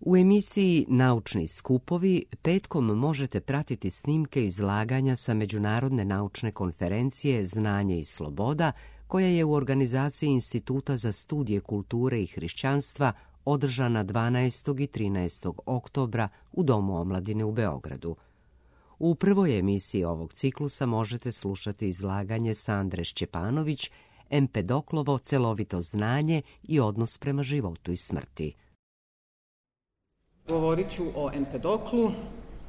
U emisiji Naučni skupovi petkom možete pratiti snimke izlaganja sa Međunarodne naučne konferencije Znanje i sloboda, koja je u organizaciji Instituta za studije kulture i hrišćanstva održana 12. i 13. oktobra u Domu omladine u Beogradu. U prvoj emisiji ovog ciklusa možete slušati izlaganje Sandre Šćepanović, Empedoklovo celovito znanje i odnos prema životu i smrti. Govorit ću o Empedoklu.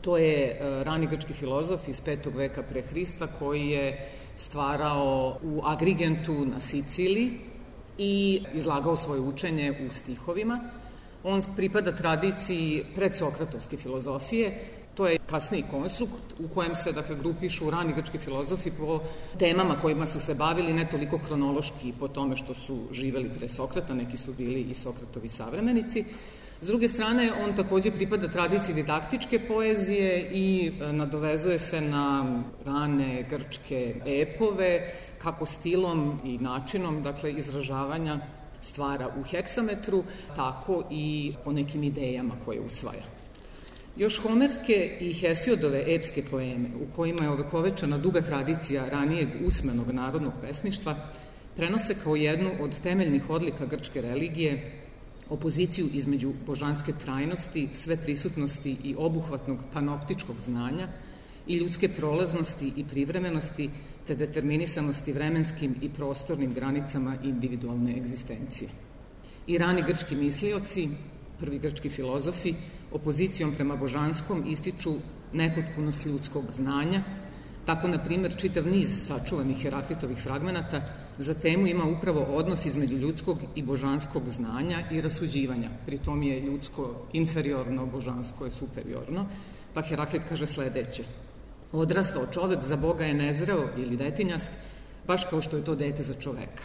To je rani grčki filozof iz 5. veka pre Hrista koji je stvarao u Agrigentu na Siciliji i izlagao svoje učenje u stihovima. On pripada tradiciji predsokratovske filozofije. To je kasniji konstrukt u kojem se grupišu rani grčki filozofi po temama kojima su se bavili, ne toliko hronološki po tome što su živeli pre Sokrata, neki su bili i Sokratovi savremenici. S druge strane, on takođe pripada tradiciji didaktičke poezije i nadovezuje se na rane grčke epove, kako stilom i načinom izražavanja stvara u heksametru, tako i po nekim idejama koje usvaja. Još homerske i Hesiodove epske poeme, u kojima je ovekovečena duga tradicija ranijeg usmenog narodnog pesništva, prenose kao jednu od temeljnih odlika grčke religije opoziciju između božanske trajnosti, sveprisutnosti i obuhvatnog panoptičkog znanja i ljudske prolaznosti i privremenosti, te determinisanosti vremenskim i prostornim granicama individualne egzistencije. I rani grčki mislioci, prvi grčki filozofi, opozicijom prema božanskom ističu nepotpunost ljudskog znanja. Tako, na primer, čitav niz sačuvanih Heraklitovih fragmenata za temu ima upravo odnos između ljudskog i božanskog znanja i rasuđivanja. Pri tom je ljudsko inferiorno, božansko je superiorno, pa Heraklit kaže sledeće: odrastao čovek za Boga je nezreo ili detinjast, baš kao što je to dete za čoveka.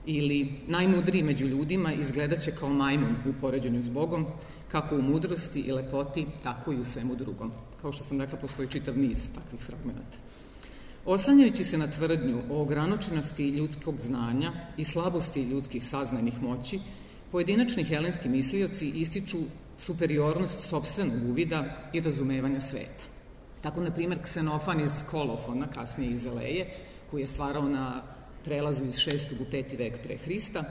Ili najmudriji među ljudima izgledaće kao majmun u poređenju s Bogom, kako u mudrosti i lepoti, tako i u svemu drugom. Kao što sam rekla, postoji čitav niz takvih fragmenata. Oslanjajući se na tvrdnju o ograničenosti ljudskog znanja i slabosti ljudskih saznajnih moći, pojedinačni helenski mislioci ističu superiornost sopstvenog uvida i razumevanja sveta. Tako, na primer, Ksenofan iz Kolofona, kasnije iz Eleje, koji je stvarao na prelazu iz 6. u 5. vek pre Hrista,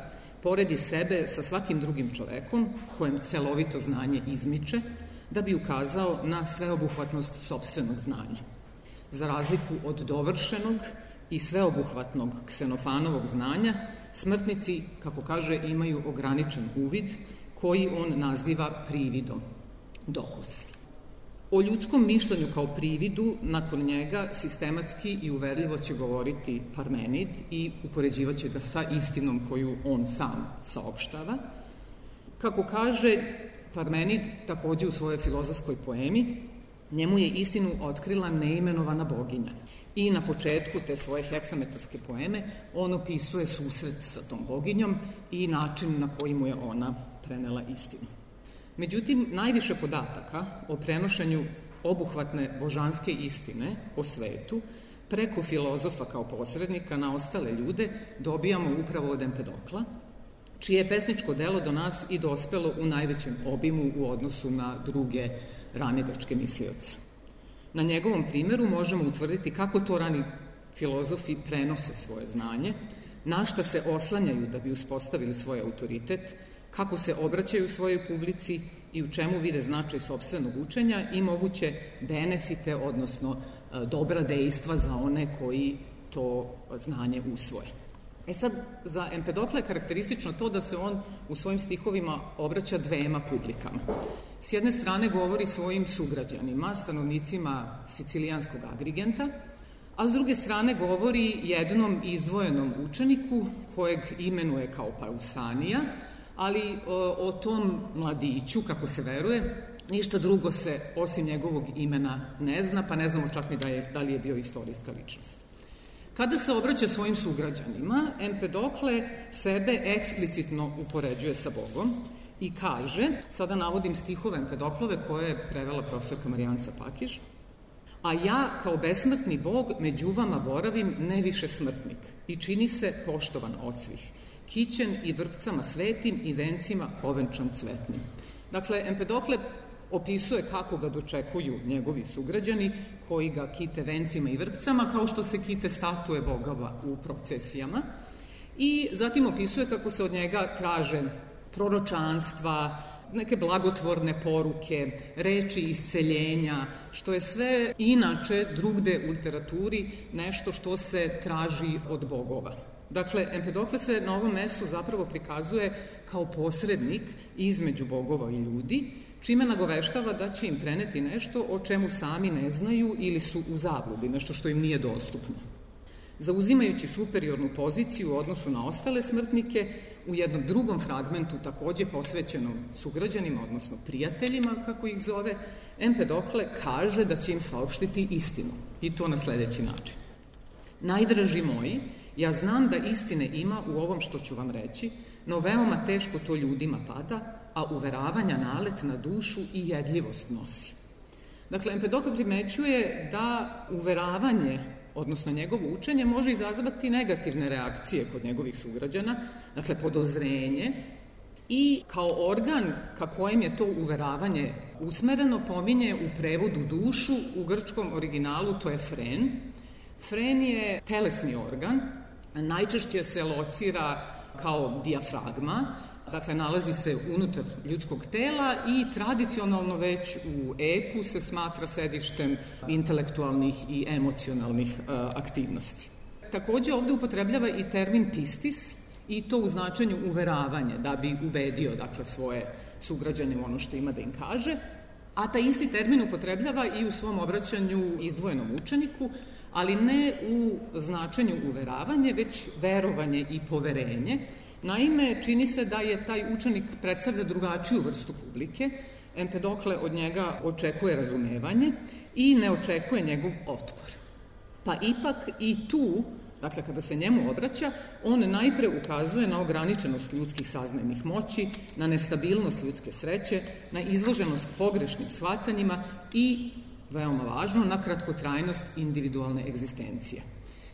poredi sebe sa svakim drugim čovekom kojem celovito znanje izmiče, da bi ukazao na sveobuhvatnost sopstvenog znanja. Za razliku od dovršenog i sveobuhvatnog Ksenofanovog znanja, smrtnici, kako kaže, imaju ograničen uvid koji on naziva prividom, dokos. O ljudskom mišljenju kao prividu nakon njega sistematski i uverljivo će govoriti Parmenid i upoređivaće ga sa istinom koju on sam saopštava. Kako kaže Parmenid takođe u svojoj filozofskoj poemi, njemu je istinu otkrila neimenovana boginja. I na početku te svoje heksametarske poeme on opisuje susret sa tom boginjom i način na koji mu je ona prenela istinu. Međutim, najviše podataka o prenošenju obuhvatne božanske istine o svetu preko filozofa kao posrednika na ostale ljude dobijamo upravo od Empedokla, čije je pesničko delo do nas i dospelo u najvećem obimu u odnosu na druge rane grčke mislioce. Na njegovom primeru možemo utvrditi kako to rani filozofi prenose svoje znanje, na šta se oslanjaju da bi uspostavili svoj autoritet, kako se obraćaju svojoj publici i u čemu vide značaj sopstvenog učenja i moguće benefite, odnosno dobra dejstva za one koji to znanje usvoje. Sad, za Empedokla je karakteristično to da se on u svojim stihovima obraća dvema publikama. S jedne strane govori svojim sugrađanima, stanovnicima sicilijanskog Agrigenta, a s druge strane govori jednom izdvojenom učeniku kojeg imenuje kao Pausanija, ali o tom mladiću, kako se veruje, ništa drugo se osim njegovog imena ne zna, pa ne znamo čak ni da li je bio istorijska ličnost. Kada se obraća svojim sugrađanima, Empedokle sebe eksplicitno upoređuje sa Bogom i kaže, sada navodim stihove Empedoklove koje je prevela profesorka Marijanca Pakiž: a ja kao besmrtni Bog među vama boravim ne više smrtnik i čini se poštovan od svih, kićen i vrpcama svetim i vencima ovenčan cvetnim. Dakle, Empedokle opisuje kako ga dočekuju njegovi sugrađani koji ga kite vencima i vrpcama kao što se kite statue bogova u procesijama i zatim opisuje kako se od njega traže proročanstva, neke blagotvorne poruke, reči isceljenja, što je sve inače drugde u literaturi nešto što se traži od bogova. Dakle, Empedokle se na ovom mestu zapravo prikazuje kao posrednik između bogova i ljudi, čime nagoveštava da će im preneti nešto o čemu sami ne znaju ili su u zabludi, nešto što im nije dostupno. Zauzimajući superiornu poziciju u odnosu na ostale smrtnike, u jednom drugom fragmentu, takođe posvećenom sugrađanima, odnosno prijateljima, kako ih zove, Empedokle kaže da će im saopštiti istinu, i to na sledeći način. Najdraži moji, ja znam da istine ima u ovom što ću vam reći, no veoma teško to ljudima pada, a uveravanja nalet na dušu i jedljivost nosi. Dakle, Empedokle primećuje da uveravanje, odnosno njegovo učenje, može izazvati negativne reakcije kod njegovih sugrađana, dakle podozrenje, i kao organ ka kojem je to uveravanje usmereno pominje u prevodu dušu, u grčkom originalu to je fren. Fren je telesni organ, najčešće se locira kao dijafragma, dakle nalazi se unutar ljudskog tela i tradicionalno već u epu se smatra sedištem intelektualnih i emocionalnih aktivnosti. Takođe ovde upotrebljava i termin pistis i to u značenju uveravanje, da bi ubedio dakle svoje sugrađane u ono što ima da im kaže, a taj isti termin upotrebljava i u svom obraćanju izdvojenom učeniku, ali ne u značenju uveravanje, već verovanje i poverenje. Naime, čini se da je taj učenik predstavlja drugačiju vrstu publike. Empedokle od njega očekuje razumevanje i ne očekuje njegov otpor. Pa ipak i tu, dakle kada se njemu obraća, on najpre ukazuje na ograničenost ljudskih saznajnih moći, na nestabilnost ljudske sreće, na izloženost pogrešnim shvatanjima i, veoma važno, na kratkotrajnost individualne egzistencije.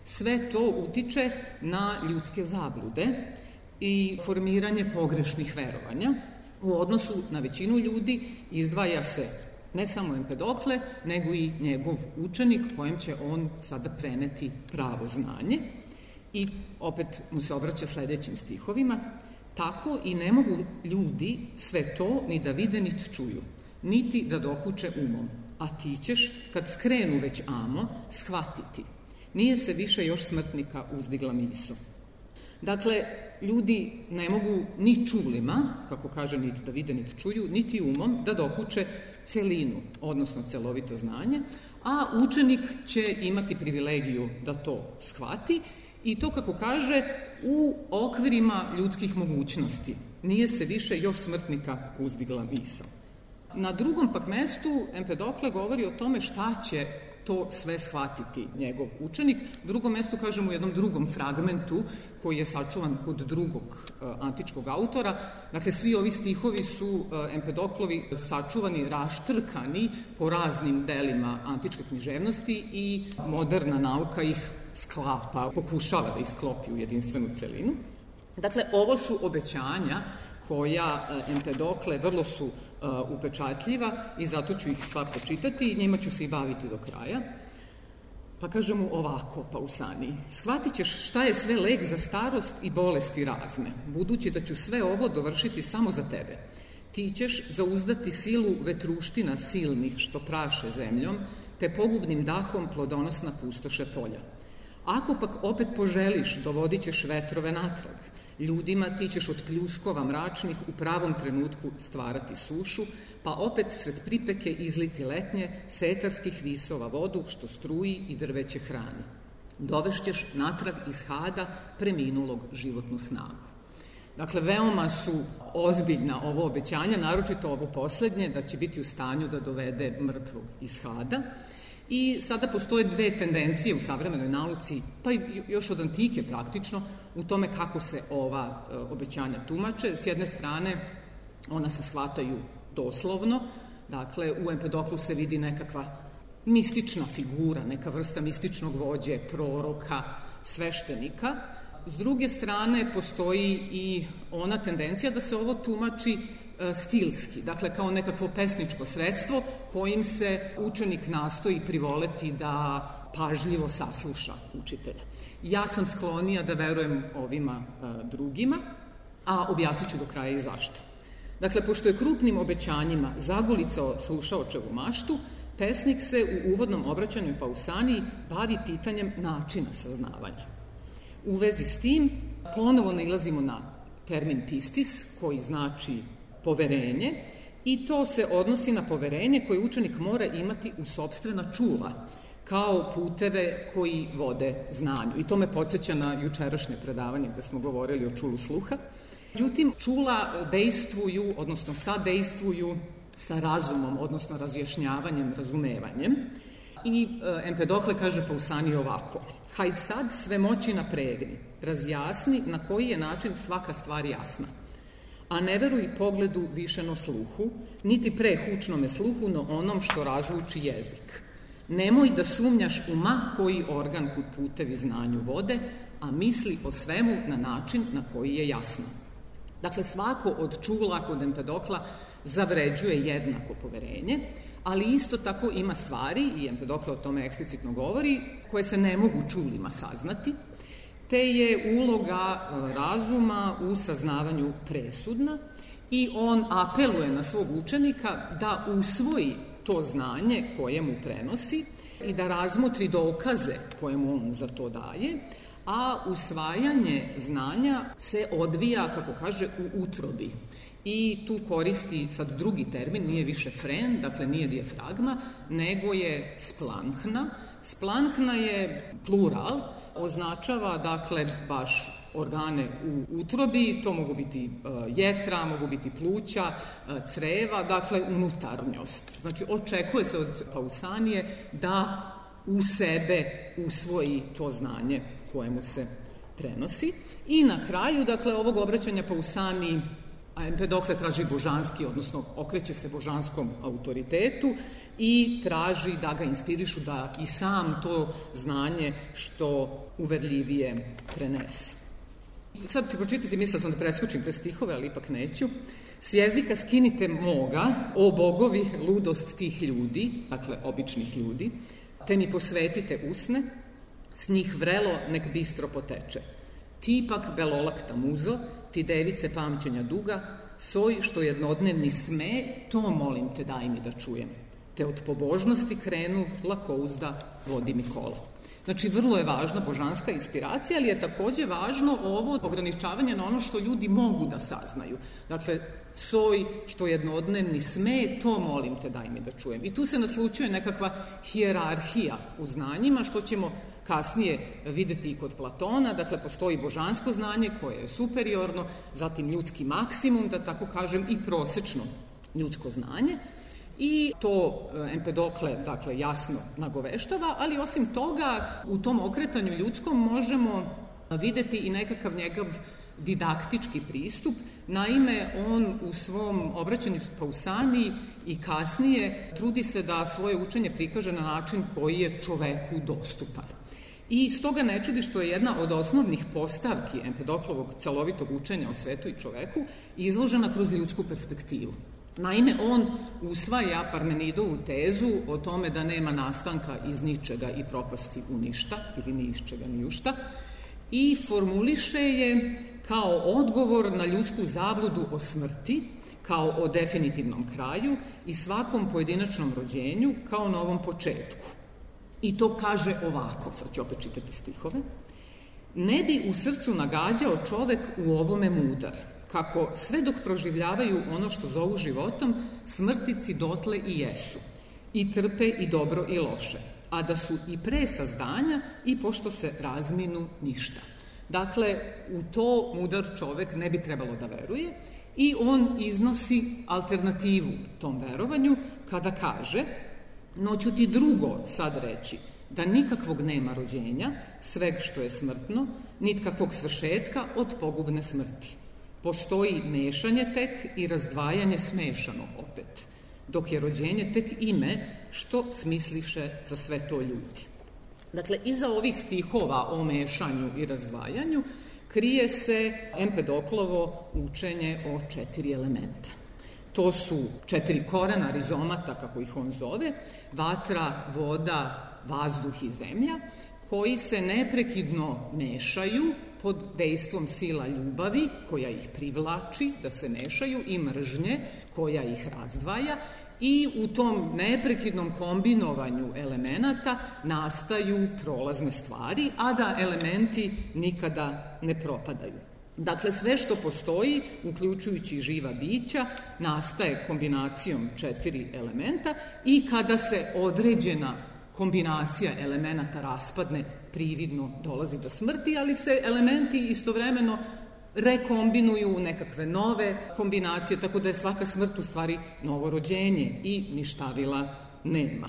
Sve to utiče na ljudske zablude i formiranje pogrešnih verovanja. U odnosu na većinu ljudi izdvaja se ne samo Empedokle, nego i njegov učenik kojem će on sada preneti pravo znanje. I opet mu se obraća sledećim stihovima. Tako i ne mogu ljudi sve to ni da vide niti čuju, niti da dokuče umom. A ti ćeš, kad skrenu već amo, shvatiti. Nije se više još smrtnika uzdigla miso. Dakle, ljudi ne mogu ni čulima, kako kaže, niti da vide, niti čuju, niti umom da dokuče celinu, odnosno celovito znanje, a učenik će imati privilegiju da to shvati i to, kako kaže, u okvirima ljudskih mogućnosti. Nije se više još smrtnika uzdigla misao. Na drugom pak mestu Empedokle govori o tome šta će to sve shvatiti njegov učenik. Drugom mestu, kažem, u jednom drugom fragmentu koji je sačuvan kod drugog antičkog autora. Dakle, svi ovi stihovi su Empedoklovi sačuvani, raštrkani po raznim delima antičke književnosti i moderna nauka ih sklapa, pokušava da ih sklopi u jedinstvenu celinu. Dakle, ovo su obećanja koja Empedokle vrlo su upečatljiva i zato ću ih sva pročitati i njima ću se i baviti do kraja. Pa kaže mu ovako Pausani: shvatit ćeš šta je sve lek za starost i bolesti razne, budući da ću sve ovo dovršiti samo za tebe. Ti ćeš zauzdati silu vetruština silnih što praše zemljom, te pogubnim dahom plodonosna pustoše polja. Ako pak opet poželiš, dovodit ćeš vetrove natrag. Ljudima ti ćeš od pljuskova mračnih u pravom trenutku stvarati sušu, pa opet sred pripeke izliti letnje setarskih visova vodu što struji i drveće hrani. Dovešćeš natrag iz hada preminulog životnu snagu. Dakle, veoma su ozbiljna ovo obećanja, naročito ovo poslednje, da će biti u stanju da dovede mrtvog iz hada. I sada postoje dve tendencije u savremenoj nauci, pa i još od antike praktično, u tome kako se ova obećanja tumače. S jedne strane, ona se shvataju doslovno, dakle, u Empedoklu se vidi nekakva mistična figura, neka vrsta mističnog vođe, proroka, sveštenika. S druge strane, postoji i ona tendencija da se ovo tumači stilski, dakle kao nekakvo pesničko sredstvo kojim se učenik nastoji privoleti da pažljivo sasluša učitelja. Ja sam sklonija da verujem ovima drugima, a objasnit ću do kraja i zašto. Dakle, pošto je krupnim obećanjima zagulicao slušaočevu maštu, pesnik se u uvodnom obraćanju Pausaniiji bavi pitanjem načina saznavanja. U vezi s tim ponovo nailazimo na termin pistis, koji znači poverenje, i to se odnosi na poverenje koje učenik mora imati u sopstvena čula, kao puteve koji vode znanju. I to me podsjeća na jučerašnje predavanje gde smo govorili o čulu sluha. Međutim, čula dejstvuju, odnosno sadejstvuju sa razumom, odnosno razjašnjavanjem, razumevanjem. I Empedokle kaže Pausaniiji ovako: hajd sad sve moći napregni, razjasni na koji je način svaka stvar jasna. A ne veruj pogledu višeno sluhu, niti prehučnome sluhu, no onom što razluči jezik. Nemoj da sumnjaš u ma koji organ kud putevi znanju vode, a misli o svemu na način na koji je jasno. Dakle, svako od čula kod Empedokla zavređuje jednako poverenje, ali isto tako ima stvari, i Empedokle o tome eksplicitno govori, koje se ne mogu čulima saznati, te je uloga razuma u saznavanju presudna i on apeluje na svog učenika da usvoji to znanje koje mu prenosi i da razmotri dokaze koje mu on za to daje, a usvajanje znanja se odvija, kako kaže, u utrobi. I tu koristi sad drugi termin, nije više fren, dakle nije dijafragma, nego je splanhna. Splanhna je plural, označava dakle baš organe u utrobi, to mogu biti jetra, mogu biti pluća, creva, dakle unutarnjost. Znači očekuje se od Pausanije da u sebe usvoji to znanje koje mu se prenosi. I na kraju, dakle, ovog obraćanja Pausaniji, a Empedokle traži božanski, odnosno okreće se božanskom autoritetu i traži da ga inspirišu da i sam to znanje što uverljivije prenese. Sad ću pročitati, mislila sam da preskočim te stihove, ali ipak neću. S jezika skinite moga, o bogovi, ludost tih ljudi, dakle običnih ljudi, te mi posvetite usne, s njih vrelo nek bistro poteče. Ti pak belolakta muzo, ti device pamćenja duga, soj što jednodnevni sme, to molim te daj mi da čujem. Te od pobožnosti krenu lakouzda vodi mi kola. Znači, vrlo je važna božanska inspiracija, ali je takođe važno ovo ograničavanje na ono što ljudi mogu da saznaju. Dakle, soj što jednodnevni sme, to molim te daj mi da čujem. I tu se naslućuje nekakva hijerarhija u znanjima, što ćemo kasnije videti i kod Platona. Dakle, postoji božansko znanje koje je superiorno, zatim ljudski maksimum, da tako kažem, i prosečno ljudsko znanje. I to Empedokle, dakle, jasno nagoveštava, ali osim toga u tom okretanju ljudskom možemo videti i nekakav njegov didaktički pristup. Naime, on u svom obraćanju Pausaniji i kasnije trudi se da svoje učenje prikaže na način koji je čoveku dostupan. I stoga ne čudi što je jedna od osnovnih postavki Empedoklovog celovitog učenja o svetu i čoveku izložena kroz ljudsku perspektivu. Naime, on usvaja Parmenidovu tezu o tome da nema nastanka iz ničega i propasti u ništa, ili ni iz čega ni u šta, i formuliše je kao odgovor na ljudsku zabludu o smrti, kao o definitivnom kraju i svakom pojedinačnom rođenju kao novom početku. I to kaže ovako, sad ću opet čitati stihove: ne bi u srcu nagađao čovek u ovome mudar, kako sve dok proživljavaju ono što zovu životom, smrtici dotle i jesu, i trpe i dobro i loše, a da su i pre sazdanja i pošto se razminu ništa. Dakle, u to mudar čovek ne bi trebalo da veruje i on iznosi alternativu tom verovanju kada kaže: no ću ti drugo sad reći, da nikakvog nema rođenja, sveg što je smrtno, nit kakvog svršetka od pogubne smrti. Postoji mešanje tek i razdvajanje smešanog opet, dok je rođenje tek ime što smisliše za sve to ljudi. Dakle, iza ovih stihova o mešanju i razdvajanju krije se Empedoklovo učenje o 4 elementa. To su 4 korena rizomata, kako ih on zove, vatra, voda, vazduh i zemlja, koji se neprekidno mešaju pod dejstvom sila ljubavi koja ih privlači da se mešaju i mržnje koja ih razdvaja i u tom neprekidnom kombinovanju elemenata nastaju prolazne stvari, a da elementi nikada ne propadaju. Dakle, sve što postoji, uključujući živa bića, nastaje kombinacijom 4 elementa i kada se određena kombinacija elemenata raspadne, prividno dolazi do smrti, ali se elementi istovremeno rekombinuju u nekakve nove kombinacije, tako da je svaka smrt u stvari novo rođenje i ništavila nema.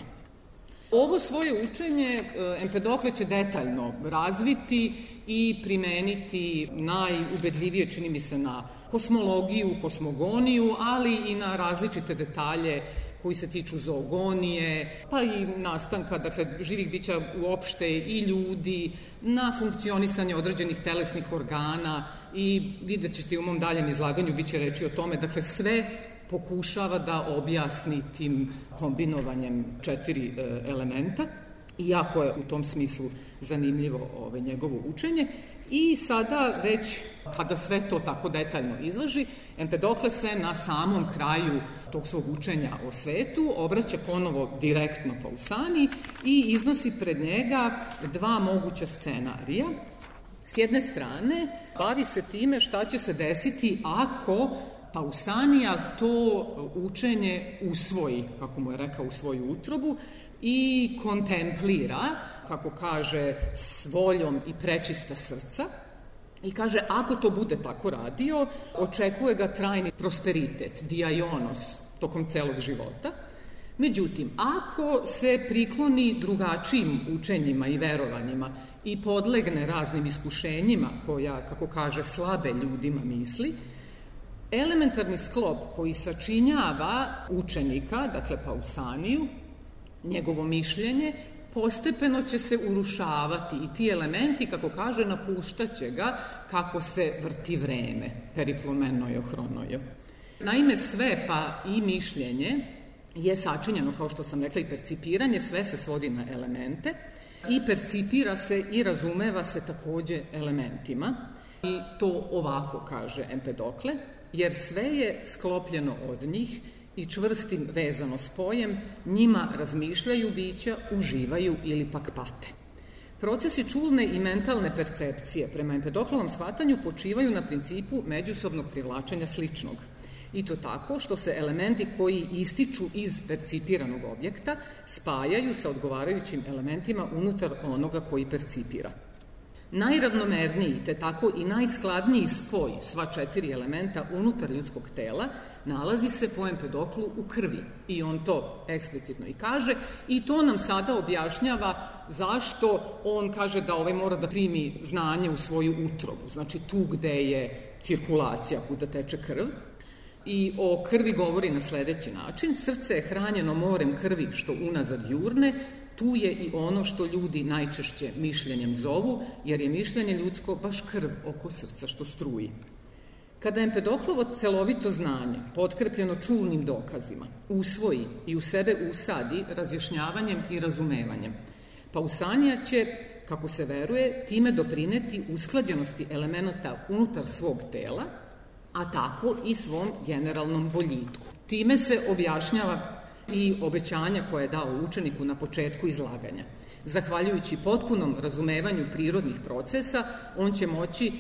Ovo svoje učenje Empedokle će detaljno razviti i primeniti najubedljivije, čini mi se, na kosmologiju, kosmogoniju, ali i na različite detalje koji se tiču zoogonije, pa i nastanka, dakle, živih bića uopšte i ljudi, na funkcionisanje određenih telesnih organa i vidjet ćete u mom daljem izlaganju, bit će reći o tome, dakle, sve pokušava da objasni tim kombinovanjem 4 elementa i jako je u tom smislu zanimljivo njegovo učenje. I sada već, kada sve to tako detaljno izloži, Empedokle se na samom kraju tog svog učenja o svetu obraća ponovo direktno Pausani i iznosi pred njega 2 moguća scenarija. S jedne strane, bavi se time šta će se desiti ako Pausanija to učenje usvoji, kako mu je rekao, u svoju utrobu i kontemplira, kako kaže, s voljom i prečista srca. I kaže, ako to bude tako radio, očekuje ga trajni prosperitet, diaionos, tokom celog života. Međutim, ako se prikloni drugačijim učenjima i verovanjima i podlegne raznim iskušenjima koja, kako kaže, slabe ljudima misli, elementarni sklop koji sačinjava učenika, dakle Pausaniju, njegovo mišljenje, postepeno će se urušavati i ti elementi, kako kaže, napuštaće ga kako se vrti vreme, periplomenojo hronojo. Naime, sve, pa i mišljenje, je sačinjeno, kao što sam rekla, i percipiranje, sve se svodi na elemente i percipira se i razumeva se takođe elementima. I to ovako kaže Empedokle, jer sve je sklopljeno od njih i čvrstim vezano spojem, njima razmišljaju bića, uživaju ili pak pate. Procesi čulne i mentalne percepcije prema Empedoklovom shvatanju počivaju na principu međusobnog privlačenja sličnog. I to tako što se elementi koji ističu iz percipiranog objekta spajaju sa odgovarajućim elementima unutar onoga koji percipira. Najravnomerniji, te tako i najskladniji spoj sva 4 elementa unutar ljudskog tela nalazi se po Empedoklu u krvi. I on to eksplicitno i kaže i to nam sada objašnjava zašto on kaže da mora da primi znanje u svoju utrobu, znači tu gde je cirkulacija, kuda teče krv. I o krvi govori na sledeći način: srce je hranjeno morem krvi što unazad jurne, tu je i ono što ljudi najčešće mišljenjem zovu, jer je mišljenje ljudsko baš krv oko srca što struji. Kada Empedoklovo celovito znanje, potkrepljeno čulnim dokazima, usvoji i u sebe usadi razjašnjavanjem i razumevanjem, Pausanija će, kako se veruje, time doprineti usklađenosti elemenata unutar svog tela, a tako i svom generalnom boljitku. Time se objašnjava i obećanja koje je dao učeniku na početku izlaganja. Zahvaljujući potpunom razumevanju prirodnih procesa, on će moći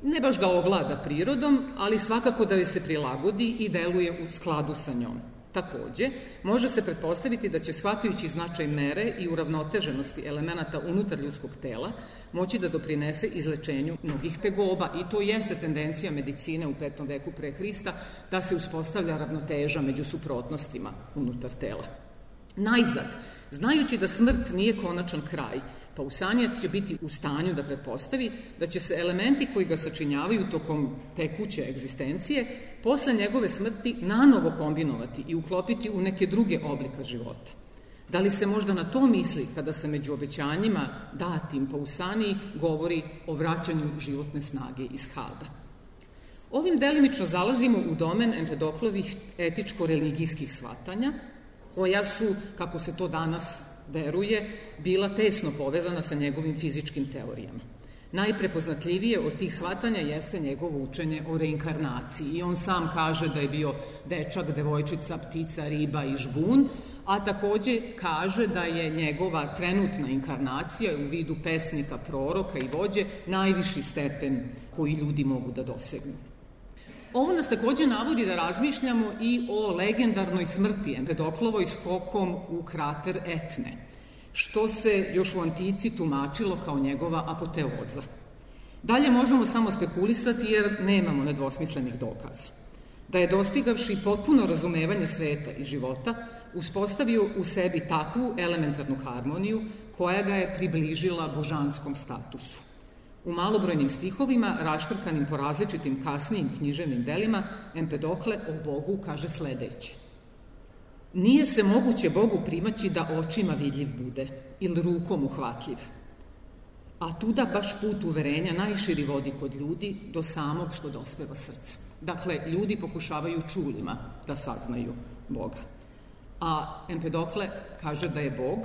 ne baš da ovlada prirodom, ali svakako da joj se prilagodi i deluje u skladu sa njom. Takođe, može se pretpostaviti da će, shvatajući značaj mere i uravnoteženosti elemenata unutar ljudskog tela, moći da doprinese izlečenju mnogih tegoba. I to jeste tendencija medicine u 5. veku pre Hrista, da se uspostavlja ravnoteža među suprotnostima unutar tela. Najzad, znajući da smrt nije konačan kraj, Pausanijac će biti u stanju da pretpostavi da će se elementi koji ga sačinjavaju tokom tekuće egzistencije posle njegove smrti nanovo kombinovati i uklopiti u neke druge oblika života. Da li se možda na to misli kada se među obećanjima datim Pausaniji govori o vraćanju životne snage iz Hada? Ovim delimično zalazimo u domen Empedoklovih etičko-religijskih shvatanja, koja su, kako se to danas veruje, bila tesno povezana sa njegovim fizičkim teorijama. Najprepoznatljivije od tih shvatanja jeste njegovo učenje o reinkarnaciji i on sam kaže da je bio dečak, devojčica, ptica, riba i žbun, a takođe kaže da je njegova trenutna inkarnacija u vidu pesnika, proroka i vođe najviši stepen koji ljudi mogu da dosegnu. Ovo nas takođe navodi da razmišljamo i o legendarnoj smrti Empedoklovoj skokom u krater Etne, što se još u antici tumačilo kao njegova apoteoza. Dalje možemo samo spekulisati jer nemamo nedvosmislenih dokaza. Da je dostigavši potpuno razumevanje sveta i života, uspostavio u sebi takvu elementarnu harmoniju koja ga je približila božanskom statusu. U malobrojnim stihovima, raštrkanim po različitim kasnijim književnim delima, Empedokle o Bogu kaže sledeće. Nije se moguće Bogu primaći da očima vidljiv bude ili rukom uhvatljiv. A tuda baš put uverenja najširi vodi kod ljudi do samog što dospeva srce. Dakle, ljudi pokušavaju čulima da saznaju Boga. A Empedokle kaže da je Bog,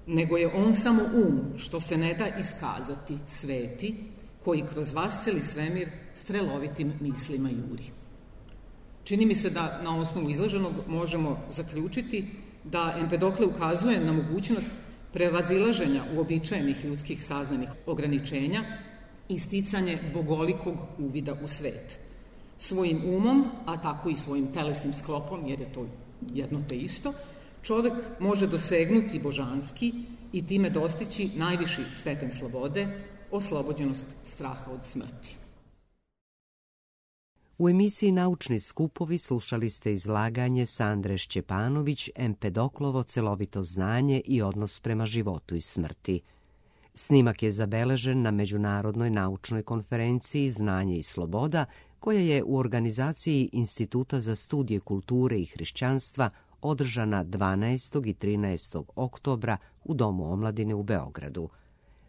nego je on samo što se ne da iskazati, sveti, koji kroz vasceli svemir strelovitim mislima juri. Čini mi se da na osnovu izloženog možemo zaključiti da Empedokle ukazuje na mogućnost prevazilaženja uobičajenih ljudskih saznanih ograničenja i sticanje bogolikog uvida u svet. Svojim umom, a tako i svojim telesnim sklopom, jer je to jedno te isto, čovek može dosegnuti božanski i time dostići najviši stepen slobode, oslobođenost straha od smrti. U emisiji Naučni skupovi slušali ste izlaganje Sandre Šćepanović, Empedoklovo celovito znanje i odnos prema životu i smrti. Snimak je zabeležen na Međunarodnoj naučnoj konferenciji Znanje i sloboda, koja je u organizaciji Instituta za studije kulture i hrišćanstva održana 12. i 13. oktobra u Domu omladine u Beogradu.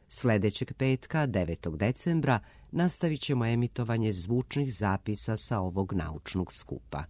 Sledećeg petka, 9. decembra, nastavit ćemo emitovanje zvučnih zapisa sa ovog naučnog skupa.